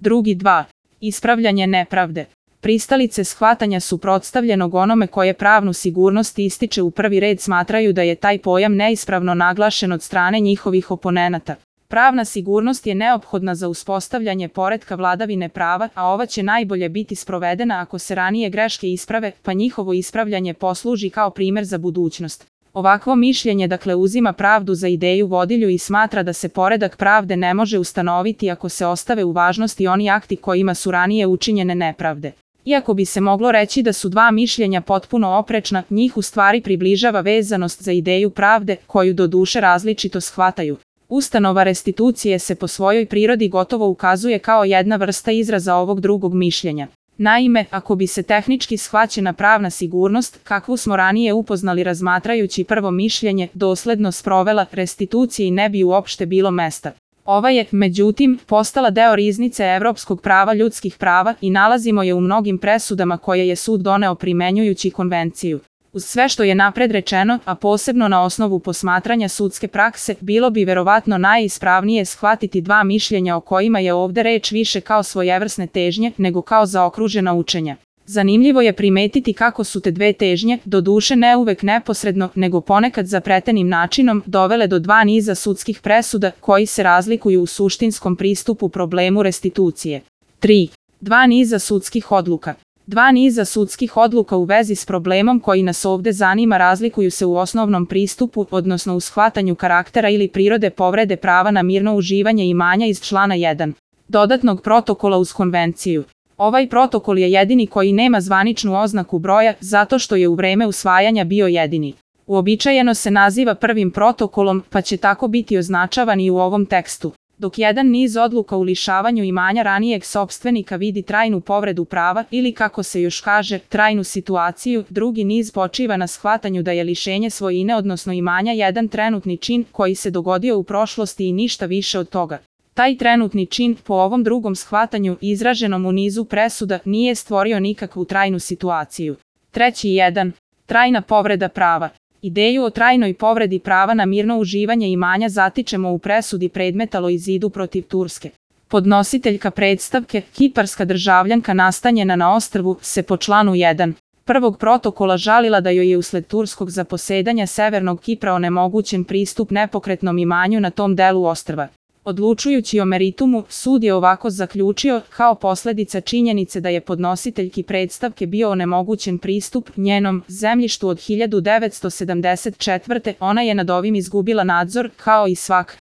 Drugi 2. Ispravljanje nepravde. Pristalice shvatanja suprotstavljenog onome koje pravnu sigurnost ističe u prvi red smatraju da je taj pojam neispravno naglašen od strane njihovih oponenata. Pravna sigurnost je neophodna za uspostavljanje poretka vladavine prava, a ova će najbolje biti sprovedena ako se ranije greške isprave, pa njihovo ispravljanje posluži kao primer za budućnost. Ovakvo mišljenje dakle uzima pravdu za ideju vodilju i smatra da se poredak pravde ne može ustanoviti ako se ostave u važnosti oni akti kojima su ranije učinjene nepravde. Iako bi se moglo reći da su dva mišljenja potpuno oprečna, njih u stvari približava vezanost za ideju pravde, koju doduše različito shvataju. Ustanova restitucije se po svojoj prirodi gotovo ukazuje kao jedna vrsta izraza ovog drugog mišljenja. Naime, ako bi se tehnički shvaćena pravna sigurnost, kakvu smo ranije upoznali razmatrajući prvo mišljenje, dosledno sprovela, restituciji ne bi uopšte bilo mesta. Ova je, međutim, postala deo riznice evropskog prava ljudskih prava i nalazimo je u mnogim presudama koje je sud doneo primenjujući konvenciju. Uz sve što je napred rečeno, a posebno na osnovu posmatranja sudske prakse, bilo bi verovatno najispravnije shvatiti dva mišljenja o kojima je ovde reč više kao svojevrsne težnje, nego kao zaokružena učenja. Zanimljivo je primetiti kako su te dve težnje, doduše ne uvek neposredno, nego ponekad zapletenim načinom, dovele do dva niza sudskih presuda, koji se razlikuju u suštinskom pristupu problemu restitucije. 3. Dva niza sudskih odluka. Dva niza sudskih odluka u vezi s problemom koji nas ovde zanima razlikuju se u osnovnom pristupu, odnosno u shvatanju karaktera ili prirode povrede prava na mirno uživanje imanja iz člana 1. dodatnog protokola uz konvenciju. Ovaj protokol je jedini koji nema zvaničnu oznaku broja, zato što je u vreme usvajanja bio jedini. Uobičajeno se naziva prvim protokolom, pa će tako biti označavan i u ovom tekstu. Dok jedan niz odluka u lišavanju imanja ranijeg sopstvenika vidi trajnu povredu prava ili kako se još kaže, trajnu situaciju, drugi niz počiva na shvatanju da je lišenje svojine odnosno imanja jedan trenutni čin koji se dogodio u prošlosti i ništa više od toga. Taj trenutni čin, po ovom drugom shvatanju, izraženom u nizu presuda, nije stvorio nikakvu trajnu situaciju. Treći 1. Trajna povreda prava. Ideju o trajnoj povredi prava na mirno uživanje imanja zatičemo u presudi predmeta Loizidu protiv Turske. Podnositeljka predstavke, kiparska državljanka nastanjena na ostrvu, se po članu 1. prvog protokola žalila da joj je usled turskog zaposedanja severnog Kipra onemogućen pristup nepokretnom imanju na tom delu ostrva. Odlučujući o meritumu, sud je ovako zaključio, kao posledica činjenice da je podnositeljki predstavke bio onemogućen pristup njenom zemljištu od 1974. Ona je nad ovim izgubila nadzor, kao i svak